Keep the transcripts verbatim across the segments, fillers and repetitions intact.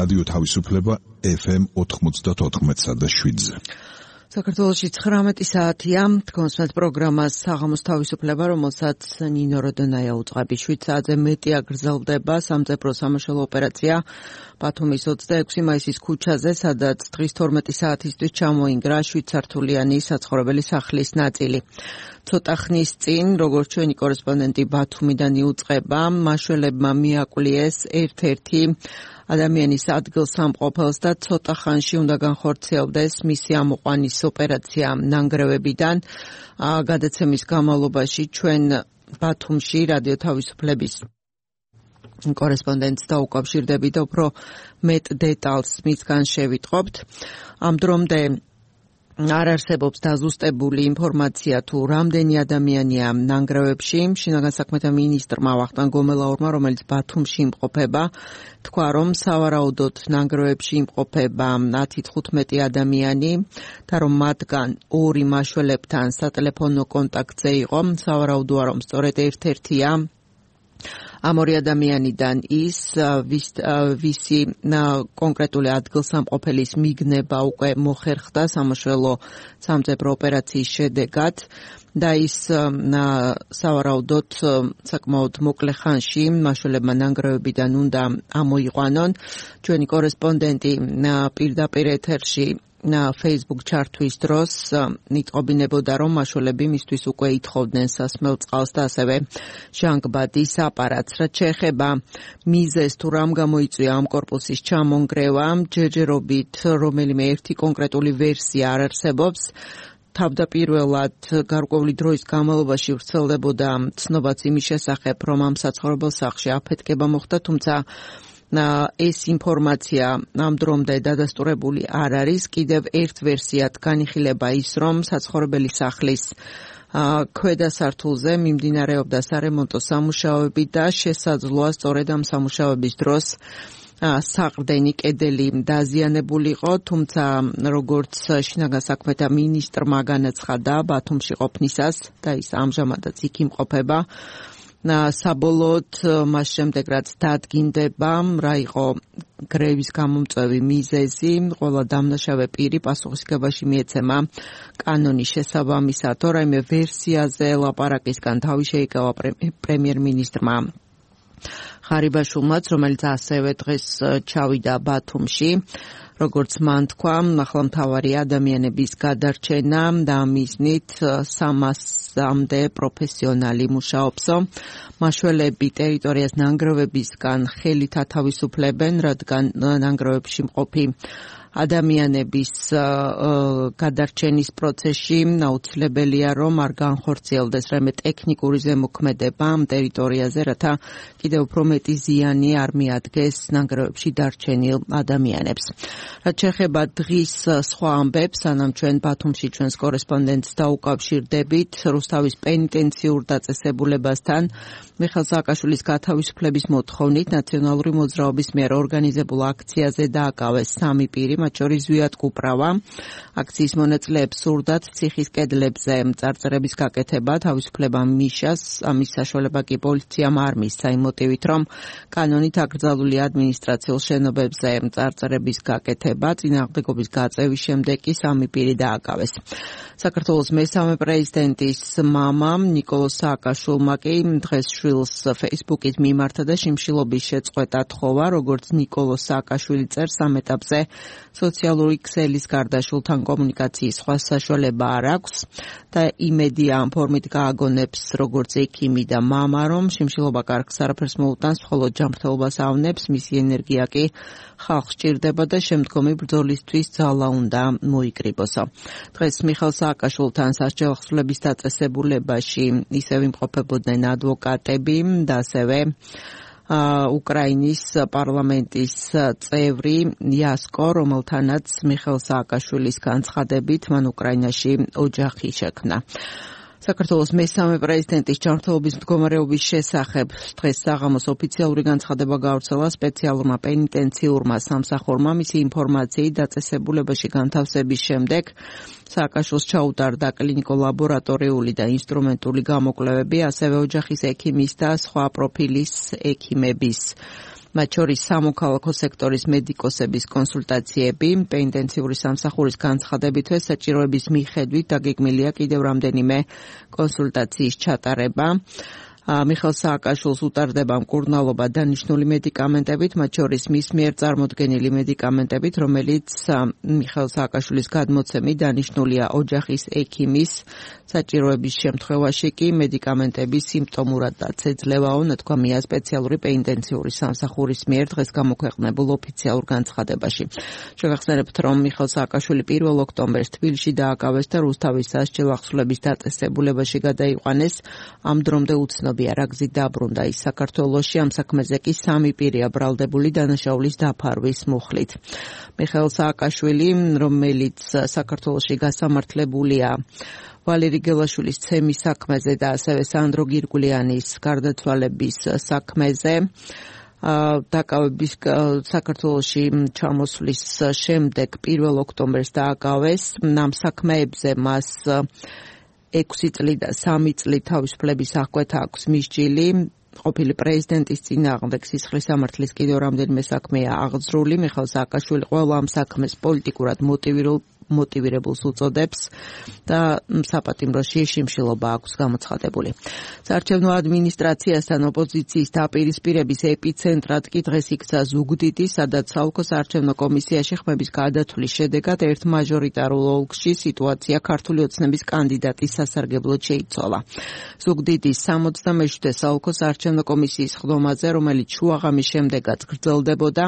რადიო თავისუფლება ეფ ემ ოთხმოცდაოთხ და შვიდზე. საქართველოში ცხრამეტი საათია, თქვენს პროგრამას საღამოს თავისუფლება, რომელსაც ნინო როდონაია უწყები. შვიდ საათზე მეტი აგრძელდება სამწებრო სამაშველო ოპერაცია ბათუმის ოცდაექვსი მაისის ქუჩაზე, სადაც დღის თორმეტი საათისთვის ჩამოინგრა შვიდსართულიანი საცხოვრებელი სახლის ნაწილი. ცოტა ხნის წინ, როგორც ჩვენი კორესპონდენტი ბათუმიდან იუწყება, მაშველებმა მიაკვლიეს ერთ-ერთი ადამიანის ადგილსამყოფელს და ცოტა ხანში უნდა განხორციელდეს მისი ამოყვანის ოპერაცია ნანგრევებიდან. გადაცემის განმავლობაში ჩვენ ბათუმში რადიო თავისუფლების კორესპონდენტს დაუკავშირდებით და უფრო მეტ დეტალს მისგან შევიტყობთ. ამ დრომდე არ არსებობს დაზუსტებული ინფორმაცია თუ რამდენი ადამიანია ნანგრევებში. შინაგან საქმეთა მინისტრმა ვახტანგ გომელაურმა, რომელიც ბათუმში იმყოფება, თქვა, რომ სავარაუდოდ ნანგრევებში იმყოფება ათი თხუთმეტი ადამიანი და რომ მათგან ორი მაშველებთან სატელეფონო კონტაქტზე იყო. სავარაუდოა, რომ სწორედ ერთ-ერთია ამ ორი ადამიანიდან ის, ვის, ვისი კონკრეტული ადგილსამყოფელის მიგნება უკვე მოხერხდა სამაშველო სამწებრო ოპერაციის შედეგად და ის სავარაუდოდ საკმაოდ მოკლე ხანში მაშველებმა ნანგრევებიდან უნდა ამოიყვანონ. ჩვენი კორესპონდენტი პირდაპირ ეთერში Facebook ჩართვის დროს იტყობინებოდა, რომ მაშველები მისთვის უკვე ითხოვდნენ სასმელ წყალს და ასევე ჟანგბადის აპარატს. რაც შეეხება მიზეზს თუ რამ გამოიწვია ამ კორპუსის ჩამონგრევა, ჯერჯერობით რომელიმე ერთი კონკრეტული ვერსია არ არსებობს. თავდაპირველად გარკვეული დროის განმავლობაში ვრცელდებოდა ცნობაც იმის შესახებ, რომ ამ საცხოვრებელ სახლში აფეთქება მოხდა, თუმცა ეს ინფორმაცია ამ დრომდე დადასტურებული არ არის. კიდევ ერთ ვერსიად განიხილება ის, რომ საცხოვრებელი სახლის ქვედა სართულზე მიმდინარეობდა სარემონტო სამუშაოები და შესაძლოა სწორედ ამ სამუშაოების დროს საყრდენი კედელი დაზიანებული იყო, თუმცა როგორც შინაგან საქმეთა მინისტრმა განაცხადა ბათუმში ყოფნისას და ის ამჟამადაც იქ იმყოფება, საბოლოოდ მას შემდეგ რაც დადგინდება რა იყო გრევის გამომწვევი მიზეზი, ყველა დამნაშავე პირი პასუხისგებაში მიეცემა კანონის შესაბამისად. რაიმე ვერსიაზე ლაპარაკისგან თავი შეიკავა პრემიერ-მინისტრმა ხარიბაშვილმაც, რომელიც ასევე დღეს ჩავიდა ბათუმში. როგორც მან თქვა, ახლა მთავარი ადამიანების გადარჩენა და მიზნით სამასამდე პროფესიონალი მუშაობსო. მაშველები ტერიტორიას ნანგრევებისგან ხელით ათავისუფლებენ, რადგან ნანგრევებში მყოფი ადამიანების გადარჩენის პროცესში აუცილებელია, რომ არ განხორციელდეს რაიმე ტექნიკური ზემოქმედება ამ ტერიტორიაზე, რათა კიდევ უფრო მეტი ზიანი არ მიადგეს ნანგრევებში დარჩენილ ადამიანებს. რაც შეეხება დღის სხვა ამბებს, სანამ ჩვენ ბათუმში ჩვენს კორესპონდენტს დაუკავშირდებით, რუსთავის პენიტენციურ დაწესებულებასთან მიხეილ სააკაშვილის გათავისუფლების მოთხოვნით ნაციონალური მოძრაობის მიერ ორგანიზებულ აქციაზე დააკავეს სამი პირი, მათ შორის ზვიად კუპრავა. აქციის მონაწილეებს სურდათ ციხის კედლებზე წარწერების გაკეთება, თავისუფლება მიშას, ამის საშუალება კი პოლიციამ არ მისცა იმ მოტივით, რომ კანონით აკრძალული ადმინისტრაციულ შენობებზე წარწერების გაკეთება წინააღმდეგობის გაწევის შემდეგ კი სამი პირი დააკავეს. საქართველოს მესამე პრეზიდენტის მამა ნიკოლოზ სააკაშვილმა კი დღეს შვილს Facebook-ით მიმართა და შიმშილობის შეწყვეტა თხოვა, როგორც ნიკოლოზ სააკაშვილი წერს, ამ ეტაპზე სოციალური ქსელის გარდა შვილთან კომუნიკაციის სხვა საშუალება არ აქვს და იმედია ამ ფორმით გააგონებს როგორც ექიმი და მამა, რომ შიმშილობა კარგს არაფერს მოუტანს, მხოლოდ ჯანმრთელობას ავნებს, მისი ენერგია კი ხალხს ჭირდება და შემდგომი ბრძოლისთვის ძალა უნდა მოიკრიბოსო. დღეს მიხეილ სააკაშვილთან სასჯელ ახსნების დაწესებულებაში ისევ იმყოფებოდნენ ადვოკატები და ასევე უკრაინის პარლამენტის წევრი იასკო, რომელთანაც მიხეილ სააკაშვილის განცხადებით მან უკრაინაში ოჯახი შექმნა. საქართველოს მესამე პრეზიდენტის ჯანმრთელობის მდგომარეობის შესახებ დღეს საღამოს ოფიციალური განცხადება გავრცელა სპეციალურმა პენიტენციურმა სამსახურმა. მისი ინფორმაციით დაწესებულებაში განთავსების შემდეგ სააკაშვილს ჩაუტარდა კლინიკო-ლაბორატორიული და ინსტრუმენტული გამოკვლევები, ასევე ოჯახის ექიმის და სხვა პროფილის ექიმების მათ შორის სამოქალაქო სექტორის მედიკოსების კონსულტაციები, პენიტენციური სამსახურის განცხადებითვე საჭიროების მიხედვით დაგეგმილია კიდევ რამდენიმე კონსულტაციის ჩატარება. მიხეილ სააკაშვილს უტარდება მკურნალობა დანიშნული მედიკამენტებით, მათ შორის მის მიერ წარმოდგენილი მედიკამენტებით, რომელიც მიხეილ სააკაშვილის გადმოცემით დანიშნულია ოჯახის ექიმის საჭიროების შემთხვევაში კი მედიკამენტები სიმპტომურადაც ეძლევაო, ნათქვამია სპეციალური პენიტენციური სამსახურის მიერ დღეს გამოქვეყნებულ ოფიციალურ განცხადებაში. შევახსენებთ, რომ მიხეილ სააკაშვილი პირველ ოქტომბერს თბილისში დააკავეს და რუსთავის სასჯელ ახსვლების დაწესებულებაში გადაიყვანეს. ამ დრომდე უცნობია რა გზით დაბრუნდა ის საქართველოში, ამ საქმეზე კი სამი პირია ბრალდებული დანაშაულის დაფარვის მუხლით. მიხეილ სააკაშვილი, რომელიც საქართველოში გასამართლებულია ვალერი გელაშვილის ცემის საქმეზე და ასევე სანდრო გირგულიანის გარდაცვალების საქმეზე დაკავების საქართველოში ჩამოსვლის შემდეგ პირველ ოქტომბერს დააკავეს. ამ საქმეებზე მას ექვსი წელი და სამი წელი თავისუფლების აღკვეთა აქვს მისჯილი. ყოფილი პრეზიდენტის წინააღმდეგ სისხლის სამართლის კიდევ რამდენიმე საქმეა აღძრული. მიხეილ სააკაშვილი ყველა ამ საქმეს პოლიტიკურად მოტივირებულ მოტივირებულს უწოდებს და საპატიმროში შიმშილობა აქვს გამოცხადებული. საარჩევნო ადმინისტრაციასთან ოპოზიციის დაპირისპირების ეპიცენტრად კი დღეს იქცა ზუგდიდი, სადაც საოლქო საარჩევნო კომისიაში ხმების გადათვლის შედეგად ერთ მაჟორიტარულ ოლქში სიტუაცია ქართული ოცნების კანდიდატის სასარგებლოდ შეიცვალა. ზუგდიდის სამოცდამეშვიდე საოლქო საარჩევნო კომისიის ხდომაზე, რომელიც შუაღამის შემდეგაც გრძელდებოდა,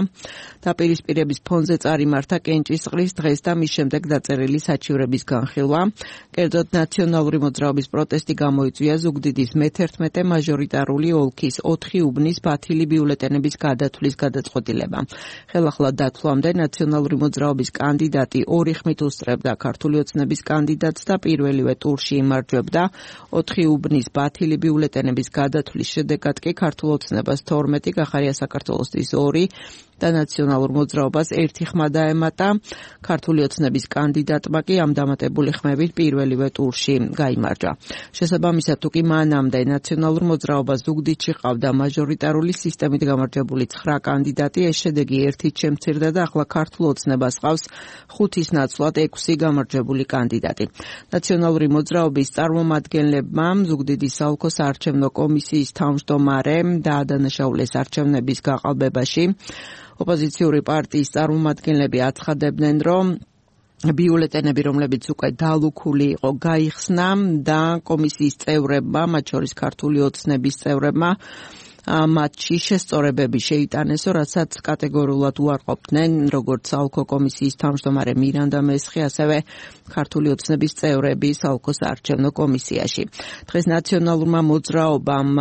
დაპირისპირების ფონზე წარიმართა კენჭისყრის დღეს და მის შემდეგ დაწერილი საჩივრების განხილვა. კერძოდ ნაციონალური მოძრაობის პროტესტი გამოიწვია ზუგდიდის მეთერთმეტე მაჟორიტარული ოლქის ოთხი უბნის ბათილი ბიულეტენების გადათვლის გადაწყვეტილება. ხელახლა დათვლამდე ნაციონალური მოძრაობის კანდიდატი ორი ხმით უსწრებდა ქართული ოცნების კანდიდატს და პირველივე ტურში იმარჯვებდა. ოთხი უბნის ბათილი ბიულეტენების გადათვლის შედეგად კი ქართულ ოცნებას თორმეტი, გახარია საქართველოსთვის ორი და ნაციონალურ მოძრაობას ერთი ხმა დაემატა. ქართული ოცნების კანდიდატმა კი ამ დამატებული ხმებით პირველივე ტურში გაიმარჯვა. შესაბამისად, თუ კი მანამდე ნაციონალურ მოძრაობას ზუგდიდში ყავდა მაჟორიტარული სისტემით გამარჯვებული ცხრა კანდიდატი, ეს შედეგი ერთით შემცირდა და ახლა ქართულ ოცნებას ყავს ხუთის ნაცვლად ექვსი გამარჯვებული კანდიდატი. ნაციონალური მოძრაობის წარმომადგენლებმა ზუგდიდის საოლქო საარჩევნო კომისიის თავმჯდომარემ დაადანაშაულეს არჩევნების გაყალბებაში. ოპოზიციური პარტიის წარმომადგენლები აცხადებდნენ, რომ ბიულეტენები, რომლებიც უკვე დალუქული იყო, გაიხსნა და კომისიის წევრებმა, მათ შორის ქართული ოცნების წევრებმა, მათში შესწორებები შეიტანესო, რასაც კატეგორიულად უარყოფდნენ, როგორც საოლქო კომისიის თავმჯდომარე მირანდა მესხი, ასევე ქართული ოცნების წევრები საოლქო საარჩევნო კომისიაში. დღეს ნაციონალურმა მოძრაობამ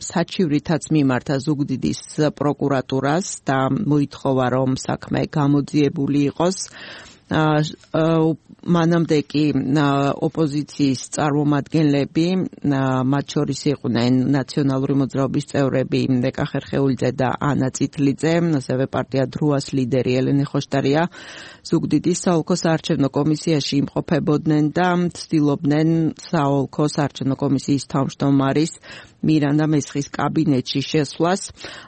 საჩივრითაც მიმართა ზუგდიდის პროკურატურას და მოითხოვა, რომ საქმე გამოძიებული იყოს. მანამდე კი ოპოზიციის წარმომადგენლები, მათ შორის იყვნენ ნაციონალური მოძრაობის წევრები ნეკა ხერხეულიძე და ანა წითლიძე, ასევე პარტია დროას ლიდერი ელენე ხოშტარია ზუგდიდის საოლქო საარჩევნო კომისიაში იმყოფებოდნენ და ცდილობდნენ საოლქო საარჩევნო კომისიის თავმჯდომარის მირანდა მესხის კაბინეტში შესვლას.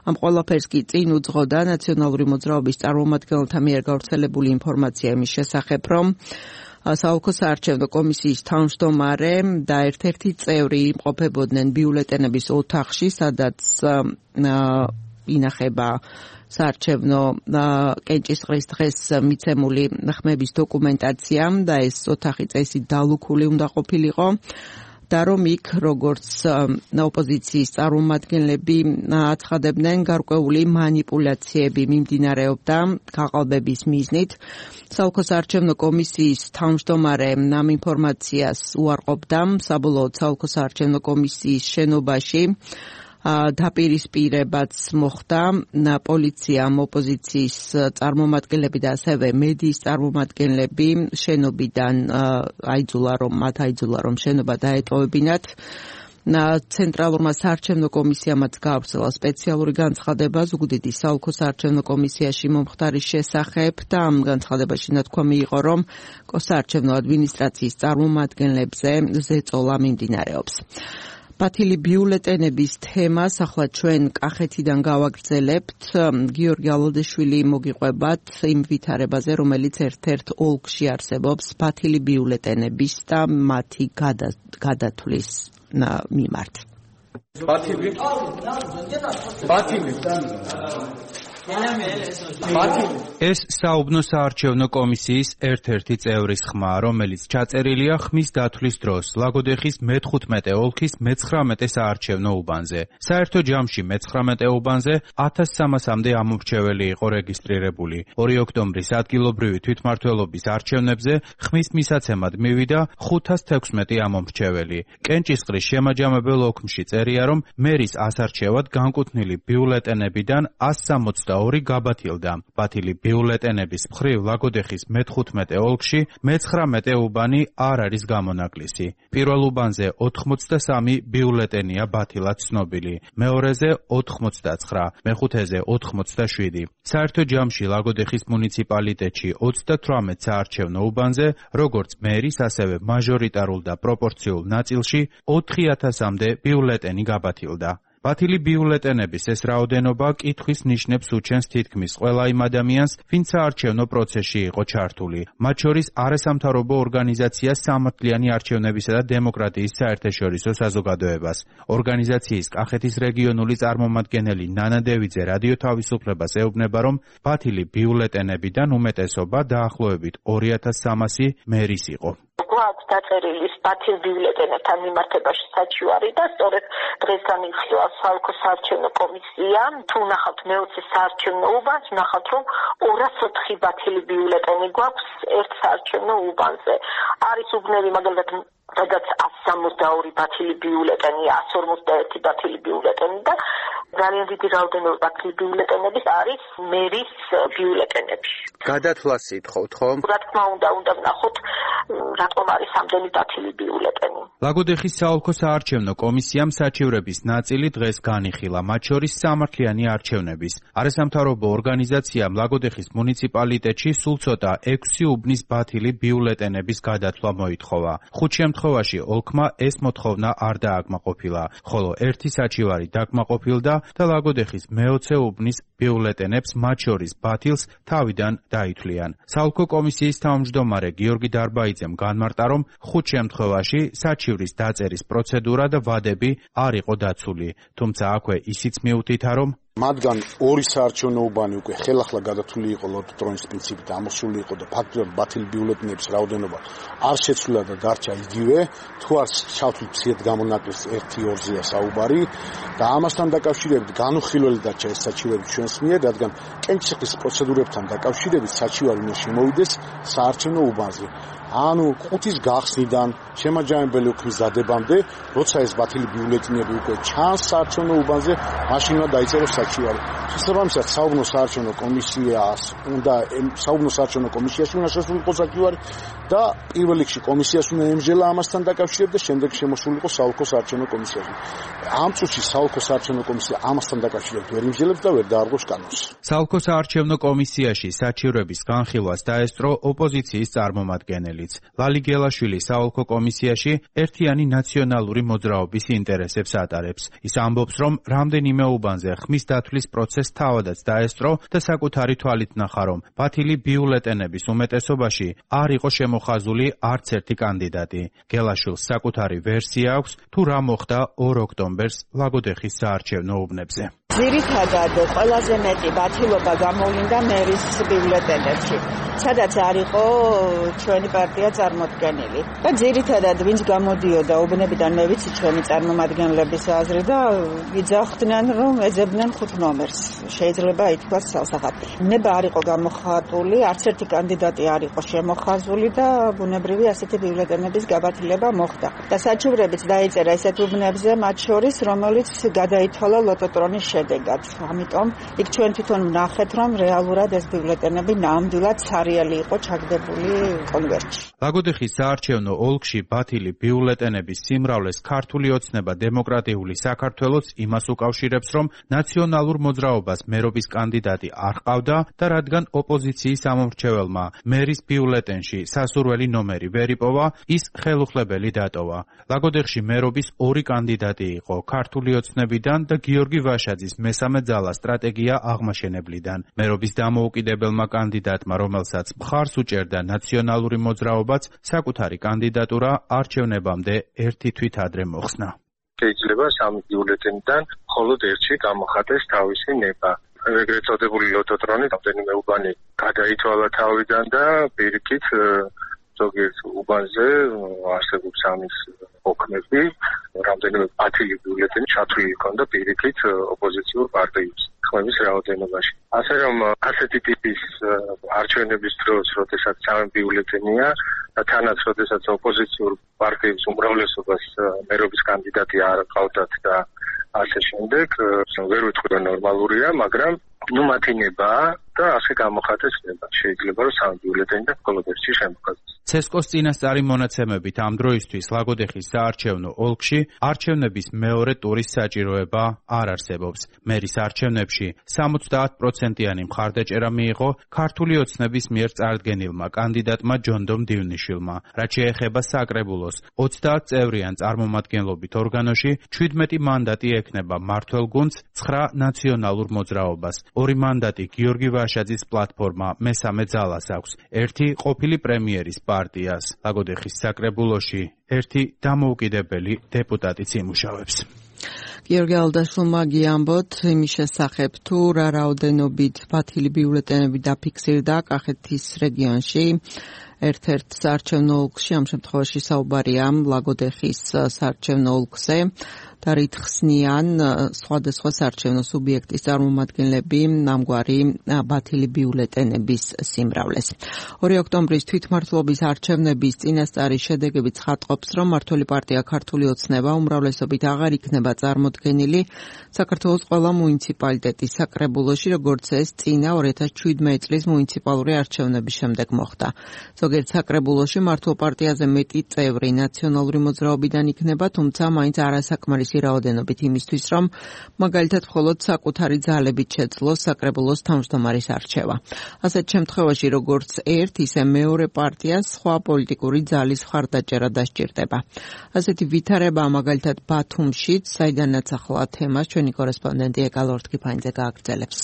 ამ ყველაფერს კი წინ უძღოდა ნაციონალური მოძრაობის წარმომადგენელთა მიერ გავრცელებული ინფორმაცია იმის შესახებ, რომ საოლქო საარჩევნო კომისიის თავმჯდომარე და ერთ-ერთი წევრი იმყოფებოდნენ ბიულეტენების ოთახში, სადაც ინახება საარჩევნო კენჭისყრის დღეს მიცემული ხმების დოკუმენტაცია და ეს ოთახი წესით დალუქული უნდა ყოფილიყო. და რომ იქ, როგორც ოპოზიციის წარმომადგენლები აცხადებდნენ, გარკვეული მანიპულაციები მიმდინარეობდა გაყალბების მიზნით. საოლქო საარჩევნო კომისიის თავმჯდომარე ამ ინფორმაციას უარყოფდა. საბოლოოდ საოლქო საარჩევნო კომისიის შენობაში დაპირისპირებაც მოხდა. პოლიციამ ოპოზიციის წარმომადგენლები და ასევე მედიის წარმომადგენლები შენობიდან აიძულა, რომ მათ აიძულა, რომ შენობა დაეტოვებინათ. ცენტრალურმა საარჩევნო კომისიამაც გაავრცელა სპეციალური განცხადება ზუგდიდის საოლქო საარჩევნო კომისიაში მომხდარის შესახებ და ამ განცხადებაში ნათქვამი იყო, რომ საარჩევნო ადმინისტრაციის წარმომადგენლებზე ზეწოლა მიმდინარეობს. ბათილი ბიულეტენების თემას ახლა ჩვენ კახეთიდან გავაგრძელებთ. გიორგი ალოდეშვილი მოგიყვებათ იმ ვითარებაზე, რომელიც ერთ-ერთ ოლქში არსებობს ბათილი ბიულეტენების და მათი გადათვლის მიმართ. ბათილი ბათილი ეს საუბნო საარჩევნო კომისიის ერთ-ერთი წევრის ხმა, რომელიც ჩაწერილია ხმის დათვლის დროს ლაგოდეხის მეთხუთმეტე ოლქის მეცხრამეტე საარჩევნო უბანზე. საერთო ჯამში მეცხრამეტე უბანზე ათას სამასამდე ამომრჩეველი იყო რეგისტრირებული. ორი ოქტომბრის ადგილობრივი თვითმმართველობის არჩევნებზე ხმის მისაცემად მივიდა ხუთას თექვსმეტი ამომრჩეველი. კენჭისყრის შემაჯამებელ ოქმში წერია, რომ მერის ასარჩევად განკუთვნილი ბიულეტენებიდან ას სამოცდა ორი გაბათილდა. ბათილი ბიულეტენების მხრივ ლაგოდეხის მეთხუთმეტე ოლქში მეცხრამეტე უბანი არ არის გამონაკლისი. პირველ უბანზე ოთხმოცდასამი ბიულეტენია ბათილად ცნობილი, მეორეზე ოთხმოცდაცხრა, მეხუთეზე ოთხმოცდაშვიდი. საერთო ჯამში ლაგოდეხის მუნიციპალიტეტში ოცდათვრამეტ საარჩევნო უბანზე, როგორც მერის, ასევე მაჟორიტარულ და პროპორციულ ნაწილში ოთხი ათასამდე ბიულეტენი გაბათილდა. ბათილი ბიულეტენების ეს რაოდენობა კითხვის ნიშნებს უჩენს თითქმის ყველა იმ ადამიანს, ვინც საარჩევნო პროცესში იყო ჩართული. მათ შორის არასამთავრობო ორგანიზაცია სამართლიანი არჩევნებისა და დემოკრატიის საერთაშორისო საზოგადოებას. ორგანიზაციის კახეთის რეგიონული წარმომადგენელი ნანა დევიძე რადიო თავისუფლებას ეუბნება, რომ ბათილი ბიულეტენებიდან უმეტესობა დაახლოებით ორი ათას სამასი მერის იყო. გვაქვს დაწერილი ბათილ ბიულეტენებთან მიმართებაში საჩივარი და სწორედ დღეს განიხილვა საოლქო საარჩევნო კომისია. თუ ნახავთ მეოცე საარჩევნო უბანს, ნახავთ, რომ ორას ოთხი ბათილი ბიულეტენი გვაქვს ერთ საარჩევნო უბანზე. არის უბნები მაგალითად სადაც ას სამოცდაორი ბათილი ბიულეტენი, ას ორმოცდაერთი ბათილი ბიულეტენი და ძალიან დიდი რაოდენობა ბათილი ბიულეტენების არის მერის ბიულეტენები. გადათვლას ითხოვთ, ხომ? რა თქმა უნდა, უნდა ვნახოთ რატომ არის ამდენი ბათილი ბიულეტენი. ლაგოდეხის საოლქო საარჩევნო კომისიამ საჩივრების ნაწილი დღეს განიხილა, მათ შორის სამართლიანი არჩევნების. არასამთავრობო ორგანიზაციამ ლაგოდეხის მუნიციპალიტეტში სულ ცოტა ექვსი უბნის ბათილი ბიულეტენების გადათვლა მოითხოვა. ხუთ შემთხვევაში ოლქმა ეს მოთხოვნა არ დააკმაყოფილა, ხოლო ერთი საჩივარი დაკმაყოფილდა და ლაგოდეხის მეოცე უბნის ბიულეტენებს, მათ შორის ბათილს, თავიდან დაითვლიან. საოლქო კომისიის თავმჯდომარე გიორგი დარბაიძემ განმარტა, რომ ხუთ შემთხვევაში საჩივრის დაწერის პროცედურა და ვადები არ იყო დაცული, თუმცა აქვე ისიც მიუთითა, რომ მათგან ორი საარჩევნო უბანი უკვე ხელახლა გადათვლილი იყო ლოტოტრონის პრინციპით ამოსული იყო და ფაქტობრივად ბათილი ბიულეტენების რაოდენობა არ შეცვლილა და დარჩა იგივე. თუ არ ჩავთვლით მცირედ გამონაკლისს ერთი ორზეა საუბარი და ამასთან დაკავშირებით განუხილველი დარჩა ეს საჩივარი ჩვენს მიერ, რადგან კენჭისყრის პროცედურებთან დაკავშირებით საჩივარი უნდა შემოვიდეს საარჩევნო უბანზე. ანუ ყუთის გახსნიდან შემაჯამებელი ოქმის დადებამდე, როცა ეს ბათილი ბიულეტენები უკვე ჩანს საარჩევნო უბანზე, მაშინ უნდა დაიწეროს საჩივარი. შესაბამისად, საუბნო საარჩევნო კომისიას უნდა საუბნო საარჩევნო კომისიაში უნდა შესულიყო საჩივარი და პირველ რიგში კომისიას უნდა ემსჯელა ამასთან დაკავშირებით და შემდეგ შემოსულიყო საოლქო საარჩევნო კომისიაში. ამ წუთში საოლქო საარჩევნო კომისია ამასთან დაკავშირებით ვერ იმსჯელებს და ვერ დაარღვევს კანონს. საოლქო საარჩევნო კომისიაში საჩივრების განხილვას დაესწრო ოპოზიციის წარმომადგენელი. ლალი გელაშვილი საოლქო კომისიაში ერთიანი ნაციონალური მოძრაობის ინტერესებს ატარებს. ის ამბობს, რომ რამდენიმე უბანზე ხმის დათვლის პროცესს თავადაც დაესწრო და საკუთარი თვალით ნახა, რომ ბათილი ბიულეტენების უმეტესობაში არ იყო შემოხაზული არც ერთი კანდიდატი. გელაშვილს საკუთარი ვერსია აქვს, თუ რა მოხდა ორ ოქტომბერს ლაგოდეხის საარჩევნო უბნებზე. ძირითადად ყველაზე მეტი ბათილობა გამოვლინდა მერის ბიულეტენებში, სადაც არ იყო ჩვენი პარტია წარმოდგენილი. და ძირითადად ვინც გამოდიოდა უბნებიდან, მე ვიცი ჩვენი წარმომადგენლების აზრი და იძახდნენ, რომ ეძებდნენ ხუთ ნომერს. შეიძლება ითქვას სასახად. ნება არ იყო გამოხატული, არც ერთი კანდიდატი არ იყო შემოხაზული და ბუნებრივი ასეთი ბიულეტენების გაბათილება მოხდა. და საჩივრებიც დაიწერა ისეთ უბნებზე, მათ შორის, რომელიც გადაითვალა ლოტოტრონის შედეგად. ამიტომ იქ ჩვენ თვითონ ვნახეთ, რომ რეალურად ეს ბიულეტენები ნამდვილად სარიელი იყო ჩაგდებული კონვერტში. ლაგოდეხის საარჩევნო ოლქში ბათილი ბიულეტენების სიმრავლეს ქართული ოცნება დემოკრატიული საქართველოს იმას უკავშირებს, რომ ნაციონალურ მოძრაობას მერობის კანდიდატი არ ჰყავდა და რადგან ოპოზიციის ამომრჩეველმა მერის ბიულეტენში სასურველი ნომერი ვერ იპოვა, ის ხელუხლებელი დატოვა. ლაგოდეხში მერობის ორი კანდიდატი იყო ქართული ოცნებიდან და გიორგი ვაშაძის მესამე ძალა სტრატეგია აღმაშენებლიდან. მერობის დამოუკიდებელმა კანდიდატმა, რომელსაც მხარს უჭერდა ნაციონალური მოძრაობაც, საკუთარი კანდიდატურა არჩევნებამდე ერთი თვით ადრე მოხსნა. შეიძლება სამი ბიულეტენიდან მხოლოდ ერთში გამოხატეს თავისი ნება. ეგრეთ წოდებული ლოტოტრონი რამდენიმე უბანი გადაითვალა თავიდან და პირიქით ზოგიერთ უბანზე არსებობს ამის ოქმები, რამდენიმე ათილი ბიულეტენი ჩათვლილი ჰქონდა პირიქით ოპოზიციურ პარტიებს ხმების რაოდენობაში. ასე რომ ასეთი ტიპის არჩევნების დროს, როდესაც სამი ბიულეტენია და თანაც როდესაც ოპოზიციურ პარტიების უმრავლესობას მერობის კანდიდატი არ ჰყავდათ და ასე შემდეგ, ვერ ვიტყვი რომ ნორმალურია, მაგრამ ნუ მათი ნება და ასე გამოხატეს ნება. შეიძლება რომ სამი ბიულეტენიდან მხოლოდ ერთი შემოხატეს. ცესკოს წინასწარი მონაცემებით ამ დროისთვის ლაგოდეხის საარჩევნო ოლქში არჩევნების მეორე ტურის საჭიროება არ არსებობს. მერის არჩევნებში სამოცდაათ პროცენტიანი მხარდაჭერა მიიღო ქართული ოცნების მიერ წარდგენილმა კანდიდატმა ჯონდომ დივნიშვილმა. რაც შეეხება საკრებულოს, ოცდაათ წევრიან წარმომადგენლობით ორგანოში ჩვიდმეტი მანდატი ექნება მმართველ გუნდს ცხრა ნაციონალურ მოძრაობას. ორი მანდატი გიორგი ვაშაძის პლატფორმა მესამე ძალას აქვს. ერთი ყოფილი პრემიერის პარტიას. ლაგოდეხის საკრებულოში ერთი დამოუკიდებელი დეპუტატიც იმუშავებს. გიორგი ალდაშვილმა გიამბოთ იმის შესახებ, თუ რა რაოდენობით ბათილი ბიულეტენები დაფიქსირდა კახეთის რეგიონში. ერთ-ერთ საარჩევნო ოლქში, ამ შემთხვევაში საუბარია ლაგოდეხის საარჩევნო ოლქზე და რით ხსნიან სხვადასხვა საარჩევნო სუბიექტის წარმომადგენლები ამგვარი ბათილი ბიულეტენების სიმრავლეს. ორი ოქტომბრის თვითმმართველობის არჩევნების წინასწარი შედეგები ცხადყოფს, რომ მმართველი პარტია ქართული ოცნება უმრავლესობით აღარ იქნება წარმოდგენილი საქართველოს ყველა მუნიციპალიტეტის საკრებულოში, როგორც ეს წინა ორი ათას შვიდმეტი წლის მუნიციპალური არჩევნების შემდეგ მოხდა. ზოგიერთ საკრებულოში მმართველ პარტიაზე მეტი წევრი ნაციონალური მოძრაობიდან იქნება, თუმცა მაინც არასაკმარისი რაოდენობით იმისთვის, რომ მაგალითად მხოლოდ საკუთარი ძალებით შეძლოს საკრებულოს თავმჯდომარის არჩევა. ასეთ შემთხვევაში, როგორც ერთ, ისე მეორე პარტიას სხვა პოლიტიკური ძალის მხარდაჭერა დასჭირდება. ასეთი ვითარება მაგალითად ბათუმშიც, საიდანაც ახლა თემას ჩვენი კორესპონდენტი ეკალორთკიფანიძე გააგრძელებს.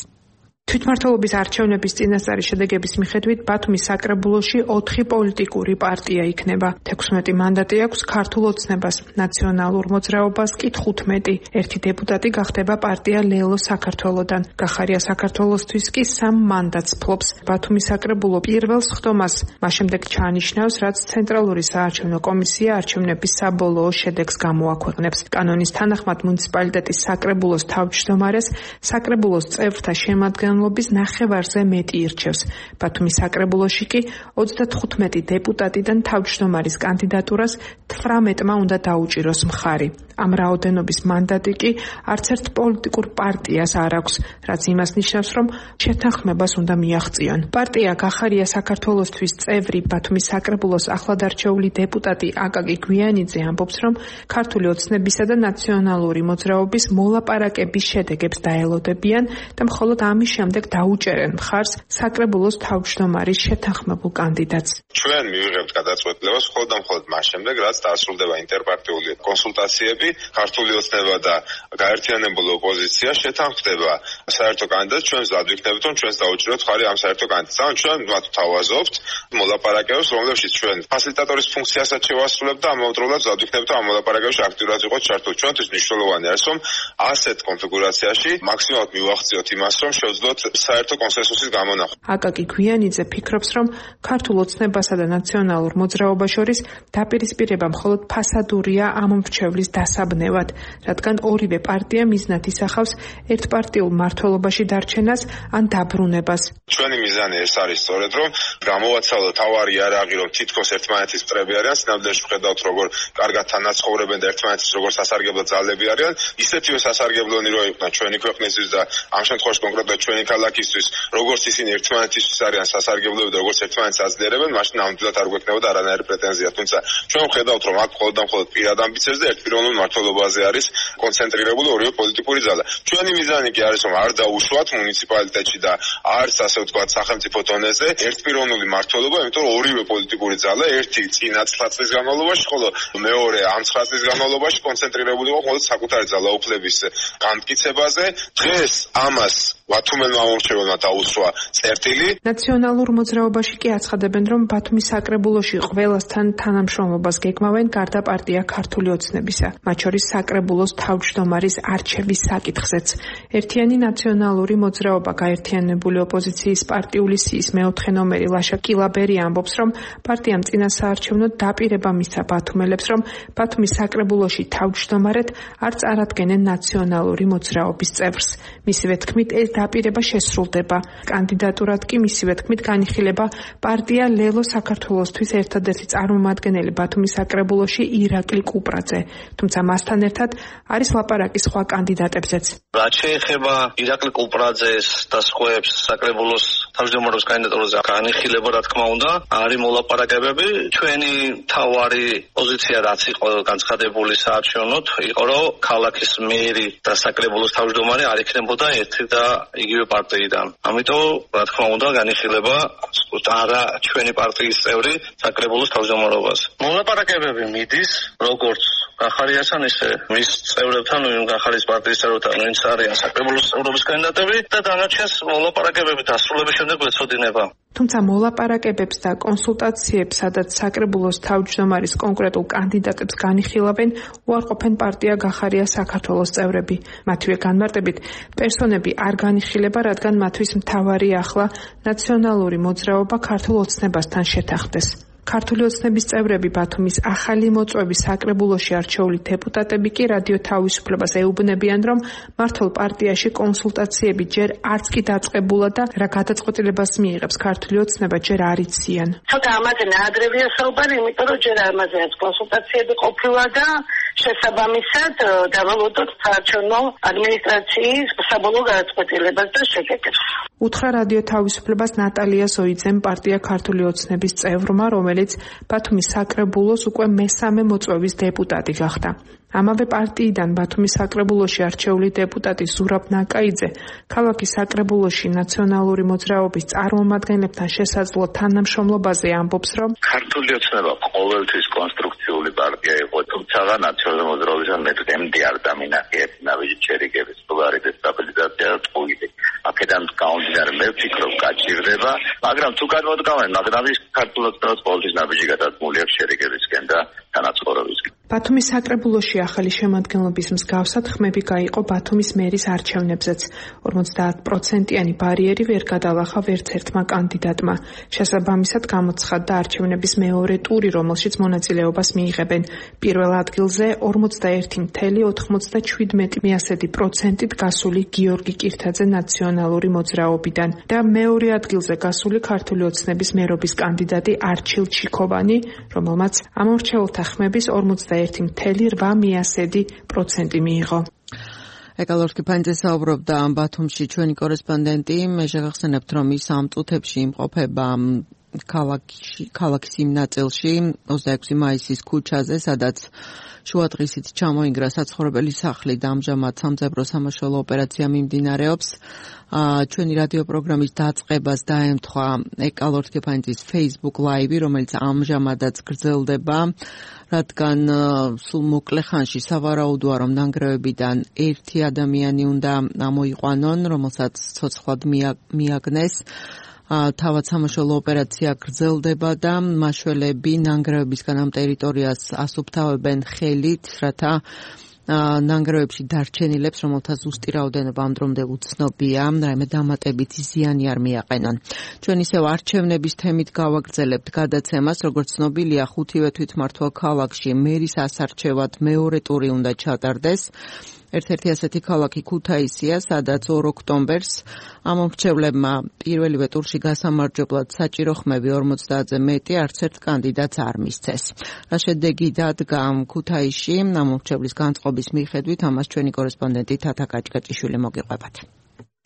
თვითმმართველობის არჩევნების წინასწარი შედეგების მიხედვით ბათუმის საკრებულოში ოთხი პოლიტიკური პარტია იქნება. თექვსმეტი მანდატი აქვს ქართულ ოცნებას, ნაციონალურ მოძრაობას კი თხუთმეტი. ერთი დეპუტატი გახდება პარტია ლელო საქართველოდან. გახარია საქართველოსთვის კი სამ მანდატს ფლობს. ბათუმის საკრებულო პირველ სხდომას მას შემდეგ ჩაანიშნავს, რაც ცენტრალური საარჩევნო კომისია არჩევნების საბოლოო შედეგს გამოაქვეყნებს. კანონის თანახმად მუნიციპალიტეტის საკრებულოს თავმჯდომარეს საკრებულოს წევრთა შემადგენლობის ნახევარზე მეტი ირჩევს. ბათუმის საკრებულოში კი ოცდათხუთმეტი დეპუტატიდან თავმჯდომარის კანდიდატურას თვრამეტმა უნდა დაუჭიროს მხარი. ამ რაოდენობის მანდატი კი არც ერთ პოლიტიკურ პარტიას არ აქვს, რაც იმას ნიშნავს, რომ შეთანხმებას უნდა მიაღწიონ. პარტია გახარია საქართველოსთვის წევრი ბათუმის საკრებულოს ახლადარჩეული დეპუტატი აკაკი გვიანიძე ამბობს, რომ ქართული ოცნებისა და ნაციონალური მოძრაობის მოლაპარაკების შედეგებს დაელოდებიან და მხოლოდ ამის შემდეგ დაუჭერენ მხარს საკრებულოს თავმჯდომარის შეთანხმებულ კანდიდატს. ჩვენ მივიღებთ გადაწყვეტილებას მხოლოდ და მხოლოდ მას შემდეგ, რაც დასრულდება ინტერპარტიული კონსულტაციები, ქართული ოცნება და გაერთიანებული ოპოზიცია შეთანხმდება საერთო კანდიდატს, ჩვენ მზად ვიქნებით, რომ ჩვენს დაუჭიროთ მხარი ამ საერთო კანდიდატს. ან ჩვენ მათ თავაზობთ მოლაპარაკებებს, რომლებშიც ჩვენ ფასილიტატორის ფუნქციასაც შევასრულებთ და ამავდროულად მზად ვიქნებით, რომ ამ მოლაპარაკებებში აქტიურად იყოთ ჩართული. ჩვენთვის მნიშვნელოვანი არის, რომ ასეთ კონფიგურაციაში მაქსიმალურად მივახციოთ იმას, რომ შევძლოთ საერთო კონსენსუსის გამონახვა. აკაკი გვიანიძე ფიქრობს, რომ ქართულ ოცნებასა და ნაციონალურ მოძრაობას შორის დაპირისპირება მხოლოდ ფასადურია ამ მრჩევლის დასაბნევად, რადგან ორივე პარტია მიზნად ისახავს ერთპარტიულ მმართველობაში დარჩენას ან დაბრუნებას. ჩვენი მიზანი ეს არის სწორედ, რომ გამოვაცალოთ თავარი იარაღი, რომ თითქოს ერთმანეთის მტრები არიან, სინამდვილეში ვხედავთ, როგორ კარგად თანაცხოვრებენ და ერთმანეთის როგორ სასარგებლო ძალები არიან, ისეთივე სასარგებლონი რო იყვნენ ჩვენი ქვეყნისთვის და ამ შემთხვევაში კონკრეტულად ჩვენი ქალაქისთვის, როგორც ისინი ერთმანეთისთვის არიან სასარგებლოები და როგორც ერთმანეთს აძლიერებენ, მაშინ ნამდვილად არ გვექნებოდა არანაირი პრეტენზია. თუმცა ჩვენ ვხედავთ, რომ აქ მხოლოდ და მხოლოდ პირად ამბიციებზე და ერთპიროვნულ მმართველობაზე არის კონცენტრირებული ორივე პოლიტიკური ძალა. ჩვენი მიზანი კი არის, რომ არ დაუშვათ მუნიციპალიტეტში და არც ასე ვთქვათ სახელმწიფო დონეზე ერთპიროვნული მმართველობა, იმიტომ რომ ორივე პოლიტიკური ძალა ერთი წინა ცხრა წლის განმავლობაში, ხოლო მეორე ამ ცხრა წლის განმავლობაში კონცენტრირებული იყო მხოლოდ საკუთარი ძალაუფლების განმტკიცებაზე. დღეს ამას ვათუმელმა მომრჩეველმა დაუსვა წერტილი. ნაციონალურ მოძრაობაში კი აცხადებენ, რომ ბათუმის საკრებულოში ყველასთან თანამშრომლობას გეგმავენ გარდა პარტია ქართული ოცნებისა, მათ შორის საკრებულოს თავმჯდომარის არჩევის საკითხზეც. ერთიანი ნაციონალური მოძრაობა გაერთიანებული ოპოზიციის პარტიული სიის მეოთხე ნომერი ლაშა კილაბერი ამბობს, რომ პარტიამ წინა საარჩევნოდ დაპირება მისცა ბათუმელებს, რომ ბათუმის საკრებულოში თავმჯდომარედ არ წარადგენენ ნაციონალური მოძრაობის წევრს. მისივე თქმით, ეს დაპირება შესრულდება. კანდიდატურად კი მისივე თქმით განიხილება პარტია ლელო საქართველოსთვის ერთადერთი წარმომადგენელი ბათუმის საკრებულოში ირაკლი კუპრაძე. თუმცა მასთან ერთად არის ლაპარაკი სხვა კანდიდატებზეც. რაც შეეხება ირაკლი კუპრაძეს და სხვებს საკრებულოს თავმჯდომარეს კანდიდატურაზე განიხილება, რა თქმა უნდა, არის მოლაპარაკებები. ჩვენი თავარი პოზიცია რაც იყო განცხადებული საარჩევნოდ, იყო რომ ქალაქის მერი და საკრებულოს თავმჯდომარე არ იქნებოდა ერთი და იგივე პარტიიდან. ამიტომ, რა თქმა უნდა, განიხილება არა ჩვენი პარტიის წევრი საკრებულოს თავმჯდომარობას. მოლაპარაკებები მიდის, როგორც გახარიასთან ისე მის წევრებთან, გახარიის პარტიის წევრებთან, ვინც არიან საკრებულოს წევრობის კანდიდატები და დანარჩენს მოლაპარაკებები დასრულების შემდეგ ეცოდინება. თუმცა მოლაპარაკებებს და კონსულტაციებს, სადაც საკრებულოს თავმჯდომარის კონკრეტულ კანდიდატებს განიხილავენ, უარყოფენ პარტია გახარია საქართველოს წევრები. მათივე განმარტებით, პერსონები არ განიხილება, რადგან მათთვის მთავარი ახლა ნაციონალური მოძრაობა ქართულ ოცნებასთან შეთანხმდეს. ქართული ოცნების წევრები ბათუმის ახალი მოწვევის საკრებულოში არჩეული დეპუტატები კი რადიო თავისუფლებას ეუბნებიან, რომ მართლ პარტიაში კონსულტაციები ჯერ არც კი დაწყებულა და რა გადაწყვეტილებას მიიღებს ქართული ოცნება ჯერ არ იციან. ცოტა ამაზე ნაადრევია საუბარი, იმიტომ რომ ჯერ ამაზეაც კონსულტაციები ყოფილა და შესაბამისად დავალოდოთ საარჩევნო ადმინისტრაციის საბოლოო გადაწყვეტილებას და შეკეთებას. უთხრა რადიო თავისუფლებას ნატალია ზოიძემ, პარტია ქართული ოცნების წევრმა, რომელიც ბათუმის საკრებულოს უკვე მესამე მოწვევის დეპუტატი გახდა. ამავე პარტიიდან ბათუმის საკრებულოში არჩეული დეპუტატი ზურაბ ნაკაიძე ქალაქის საკრებულოში ნაციონალური მოძრაობის წარმომადგენლებთან შესაძლო თანამშრომლობაზე ამბობს, რომ ქართული ოცნება ყოველთვის კონსტრუქციული პარტია იყო, თუმცა ნაციონალური მოძრაობისგან მე დღემდე არ დამინახეთ ნავიჯი ჩერიგების პოპულარი დესტაბილიზაცია და ტყუილი. აქედან გამომდინარე მე ვფიქრობ გაჭირდება, მაგრამ თუ გადმოდგავენ, მაგრამ ის ქართული ოცნების პოლიტიკის ნაბიჯი გადადგმული აქვს შერიგებისკენ და თანაცხოვრებისკენ. ბათუმის საკრებულოში ახალი შემადგენლობის მსგავსად ხმები გაიყო ბათუმის მერის არჩევნებზეც. ორმოცდაათ პროცენტიანი ბარიერი ვერ გადალახა ვერც ერთმა კანდიდატმა. შესაბამისად გამოცხადდა არჩევნების მეორე ტური, რომელშიც მონაწილეობას მიიღებენ. პირველ ადგილზე ორმოცდაერთი целых ოთხმოცდაშვიდმეტი პროცენტით გასული გიორგი კირთაძე ნაციონალური მოძრაობიდან და მეორე ადგილზე გასული ქართული ოცნების მერობის კანდიდატი არჩილ ჩიქოვანი, რომელმაც ამორჩეულთა ხმების ორმოცდაერთი целых ოთხ პროცენტი მიიღო. ეკალორკი ფანძე საუბრობდა ბათუმში ჩვენი კორესპონდენტი. მე შეგახსენებთ, რომ ის ამ წუთებში იმყოფება ქალაქში, ქალაქის იმ ნაწილში, ოცდაექვსი მაისის ქუჩაზე, სადაც შუადღისით ჩამოინგრა საცხოვრებელი სახლი და ამჟამად სამძებრო სამაშველო ოპერაცია მიმდინარეობს. ჩვენი რადიო პროგრამის დაწყებას დაემთხვა ეკალორკეფანძის Facebook Live, რომელიც ამჟამადაც გრძელდება, რადგან სულ მოკლე ხანში სავარაუდოა, რომ ნანგრევებიდან ერთი ადამიანი უნდა ამოიყვანონ, რომელსაც ცოცხლად მიაგნეს. თავად სამაშველო ოპერაცია გრძელდება და მაშველები ნანგრევებისგან ამ ტერიტორიას ასუფთავებენ ხელით, რათა ნანგრევებში დარჩენილებს, რომელთა ზუსტი რაოდენობა ამ დრომდე უცნობია, რაიმე დამატებითი ზიანი არ მიაყენონ. ჩვენ ისევ არჩევნების თემით გავაგრძელებთ გადაცემას, როგორც ცნობილია, ხუთივე თვითმმართველ ქალაქში მერის ასარჩევად მეორე ტური უნდა ჩატარდეს. ერთ-ერთი ასეთი ქალაქი ქუთაისია, სადაც ორ ოქტომბერს ამომრჩევლებმა პირველივე ტურში გასამარჯვებლად საჭირო ხმები ორმოცდაათზე მეტი არც ერთ კანდიდატს არ მისცეს. რა შედეგი დადგა ქუთაისში ამომრჩევლის განწყობის მიხედვით, ამას ჩვენი კორესპონდენტი თათა კაჭკაჭიშვილი მოგიყვებათ.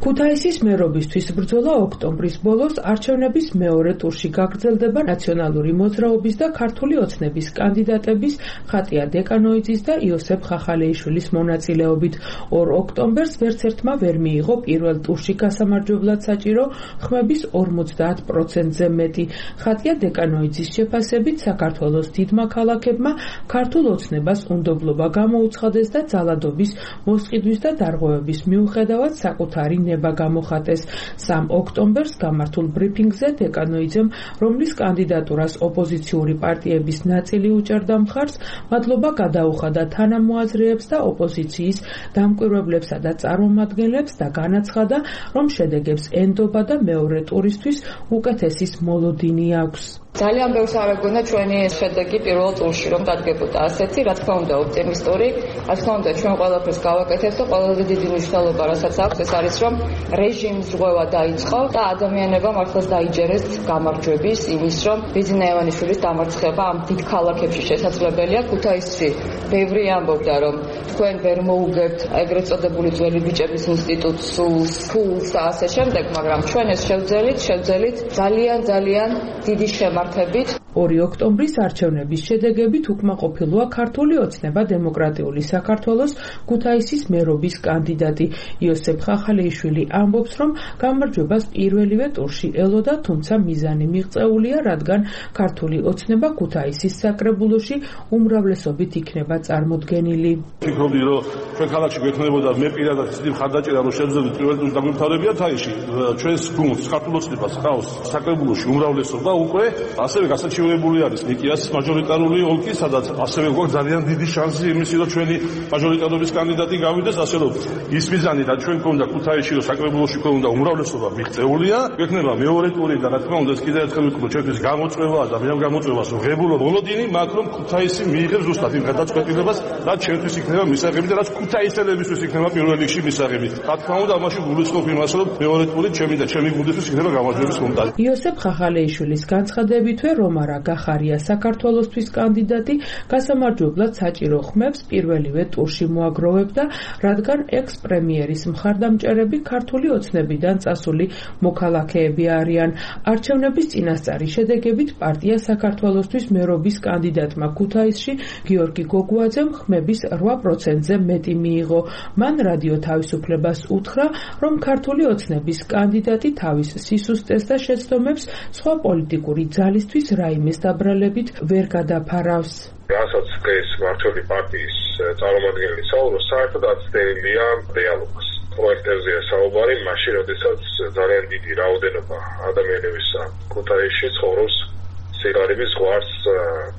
ქუთაისის მერობისთვის ბრძოლა ოქტომბრის ბოლოს არჩევნების მეორე ტურში გაგრძელდება ნაციონალური მოძრაობის და ქართული ოცნების კანდიდატების ხატია დეკანოიძის და იოსებ ხახალეიშვილის მონაწილეობით. ორ ოქტომბერს ვერც ერთმა ვერ მიიღო პირველ ტურში გასამარჯვებლად საჭირო ხმების ორმოცდაათ პროცენტზე მეტი. ხატია დეკანოიძის შეფასებით საქართველოს დიდმა ქალაქებმა ქართულ ოცნებას უნდობლობა გამოუცხადეს და ძალადობის მოსყიდვის და დარღვევების მიუხედავად საკუთარი ნება გამოხატეს. სამ ოქტომბერს გამართულ ბრიფინგზე დეკანოიძემ, რომლის კანდიდატურას ოპოზიციური პარტიების ნაწილი უჭერდა მხარს, მადლობა გადაუხადა თანამოაზრეებს და ოპოზიციის დამკვირვებლებსა და წარმომადგენლებს და განაცხადა, რომ შედეგებს ენდობა და მეორე ტურისთვის უკეთესის მოლოდინი აქვს. ძალიან ბევრს არ ეგონა ჩვენი შედეგი პირველ ტურში რომ დადგებოდა ასეთი, რა თქმა უნდა ოპტიმისტური, რა თქმა უნდა ჩვენ ყველაფერს გავაკეთებთ და ყველაზე დიდი მნიშვნელობა რასაც აქვს ეს არის რომ რეჟიმის ზღვევა დაიწყო და ადამიანებმა მართლაც დაიჯერეს გამარჯვების იმის რომ ბიზნა ევანიშვილის დამარცხება ამ დიდ ქალაქებში შესაძლებელია. ქუთაისში ბევრი ამბობდა რომ თქვენ ვერ მოუგებთ ეგრეთ წოდებული ძველი ბიჭების ინსტიტუტს, სულს, ფულს და ასე შემდეგ, მაგრამ ჩვენ ეს შევძელით, შევძელით ძალიან ძალიან დიდი შემართ ორი ოქტომბრის არჩევნების შედეგებით უკმაყოფილოა ქართული ოცნება დემოკრატიული საქართველოს ქუთაისის მერობის კანდიდატი. იოსებ ხახალეიშვილი ამბობს, რომ გამარჯვებას პირველივე ტურში ელოდა, თუმცა მიზანი მიღწეულია, რადგან ქართული ოცნება ქუთაისის საკრებულოში უმრავლესობით იქნება წარმოდგენილი. ვფიქრობდი, რომ ჩვენ ქალაქში გვექნებოდა მე პირადად დიდი მხარდაჭერა, რომ შევძლებდით პირველ ტურში დაგვემთავრებიათ აიში. ჩვენს გუნდს ქართულ ოცნებას ჰყავს საკრებულოში უმრავლესობა უკვე ასევე გასაჩივრებული არის ნიკიას მაჟორიტარული ოლქი, სადაც ასევე გვაქვს ძალიან დიდი შანსი იმისი, რომ ჩვენი მაჟორიტარობის კანდიდატი გავიდეს, ასე რომ ის მიზანი და ჩვენ გვქონდა ქუთაისში, რომ საკრებულოში გვქონდა უმრავლესობა მიღწეულია, გვექნება მეორე ტური და რა თქმა უნდა, კიდევ ერთხელ ვიქნო ჩვენთვის გამოწვევა და მე გამოწვევას ღებულობ მოლოდინი, მაგ რომ ქუთაისი მიიღებს ზუსტად იმ გადაწყვეტილებას, რაც ჩვენთვის იქნება მისაღები და რაც ქუთაისელებისთვის იქნება პირველ რიგში მისაღები. რა თქმა უნდა, ამაში გულისხმობ იმას, რომ მეორე ტური ჩემი და ჩემი გუნდისთვის იქნება გამარჯვების მომტანი. იოსებ ხახალეიშვილის განცხადებითვე რომარა გახარია საქართველოსთვის კანდიდატი გასამარჯვებლად საჭირო ხმებს პირველივე ტურში მოაგროვებდა, რადგან ექს-პრემიერის მხარდამჭერები ქართული ოცნებიდან წასული მოქალაქეები არიან. არჩევნების წინასწარი შედეგებით პარტია საქართველოსთვის მერობის კანდიდატმა ქუთაისში გიორგი გოგუაძემ ხმების რვა პროცენტზე მეტი მიიღო. მან რადიო თავისუფლებას უთხრა, რომ ქართული ოცნების კანდიდატი თავის სისუსტეს და შეცდომებს სხვა პოლიტიკური ძალისთვის რაიმეს დაბრალებით ვერ გადაფარავს. რასაც დღეს მართველი პარტიის წარმომადგენელი საუბრობს, საერთოდ აცდენილია რეალობას. პროექტებზეა საუბარი, მაშინ, როდესაც ძალიან დიდი რაოდენობა ადამიანებისა ქუთაისში ცხოვრობს სიგარების ზღვარს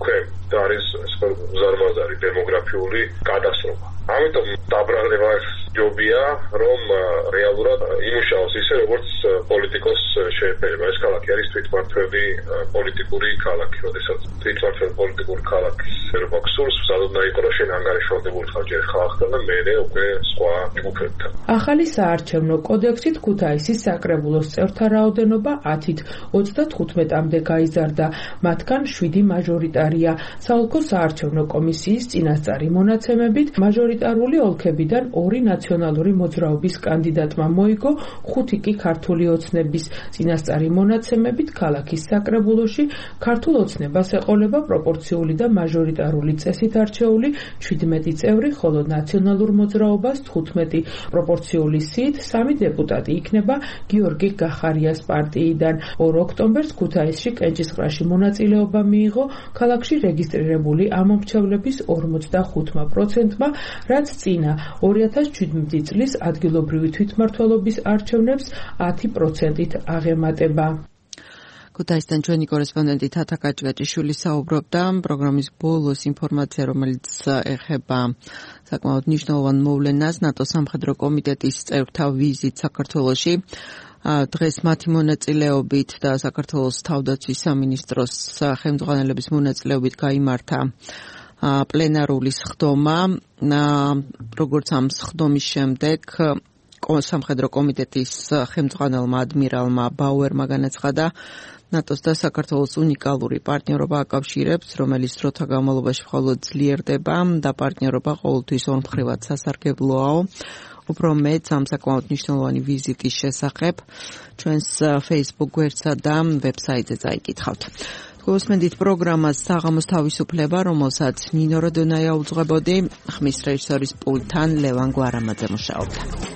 ქვემ და არის უზარმაზარი დემოგრაფიული კატასტროფა. ამიტომ დაბრალება ჯობია, რომ რეალურად იმუშაოს ისე, როგორც პოლიტიკოს შეეფერება. ეს ქალაქი არის თვითმმართველი პოლიტიკური ქალაქი, როდესაც თვითმმართველი პოლიტიკური ქალაქის ერობა გსურს, სადაც იყო რომ შენ ანგარიშვალდებული ხარ ჯერ ხალხთან და მერე უკვე სხვა ჯგუფებთან. ახალი საარჩევნო კოდექსით ქუთაისის საკრებულოს წევრთა რაოდენობა ათით ოცდათხუთმეტამდე გაიზარდა, მათგან შვიდი მაჟორიტარია. საოლქო საარჩევნო კომისიის წინასწარი მონაცემებით მაჟორიტარული ოლქებიდან ორი ნაციონალური მოძრაობის კანდიდატმა მოიგო, ხუთი კი ქართული ოცნების. წინასწარი მონაცემებით ქალაქის საკრებულოში ქართულ ოცნებას ეყოლება პროპორციული და მაჟორიტარული წესით არჩეული ჩვიდმეტი წევრი, ხოლო ნაციონალურ მოძრაობას თხუთმეტი. პროპორციული სიით სამი დეპუტატი იქნება გიორგი გახარიას პარტიიდან. ორ ოქტომბერს ქუთაისში კენჭისყრაში მონაწილეობა მიიღო ქალაქში რეგისტრირებული ამომრჩევლების ორმოცდახუთმა პროცენტმა, რაც წინა ორი ათას შვიდმეტი წლის ადგილობრივი თვითმმართველობის არჩევნებს ათი პროცენტით აღემატება. ქუთაისიდან ჩვენი კორესპონდენტი თათა კაჭკაჭიშვილი საუბრობდა პროგრამის ბოლოს ინფორმაცია, რომელიც ეხება საკმაოდ მნიშვნელოვან მოვლენას ნატოს სამხედრო კომიტეტის წევრთა ვიზიტ საქართველოში. დღეს მათი მონაწილეობით და საქართველოს თავდაცვის სამინისტროს ხელმძღვანელების მონაწილეობით გაიმართა პლენარული სხდომა. როგორც ამ სხდომის შემდეგ სამხედრო კომიტეტის ხელმძღვანელმა ადმირალმა ბაუერმა განაცხადა, ნატოს და საქართველოს უნიკალური პარტნიორობა აკავშირებს, რომელიც დროთა განმავლობაში მხოლოდ ძლიერდება და პარტნიორობა ყოველთვის ორმხრივად სასარგებლოა. უფრო მეტ ამ საკმაოდ მნიშვნელოვანი ვიზიტის შესახებ ჩვენს Facebook გვერდსა და ვებსაიტზე წაიკითხავთ. გულისხმობთ პროგრამას საღამოს თავისუფლება, რომელსაც ნინო როდონაია უძღვებოდი, ხმის რეჟისორის პულტთან ლევან გვარამაძე მუშაობდა.